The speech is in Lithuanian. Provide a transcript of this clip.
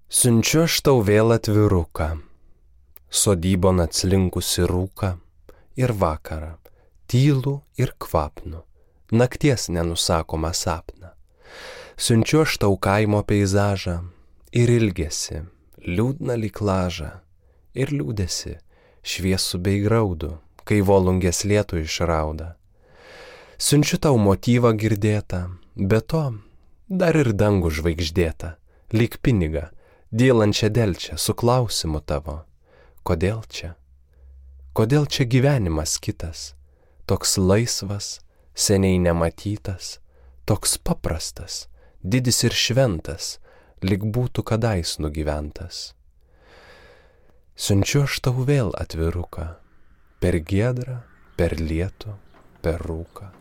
Siunčiu aš tau vėl atviruką, sodybon atslinkusi rūką ir vakarą, tylų ir kvapnų, nakties nenusakomą sapną. Siunčiu aš tau kaimo peizažą ir ilgesį, liūdną lyg lažą, ir liūdesi, šviesų bei graudų, kai volungės lietų išrauda. Siunčiu tau motyvą girdėtą, be to dar ir dangų žvaigždėtą, lyg pinigą, dylančią delčią su klausimu tavo. Kodėl čia? Kodėl čia gyvenimas kitas, toks laisvas, seniai nematytas, toks paprastas, didis ir šventas, lyg būtų kadais nugyventas. Siunčiu aš tau vėl atviruką, per giedrą, per lietų, per rūką.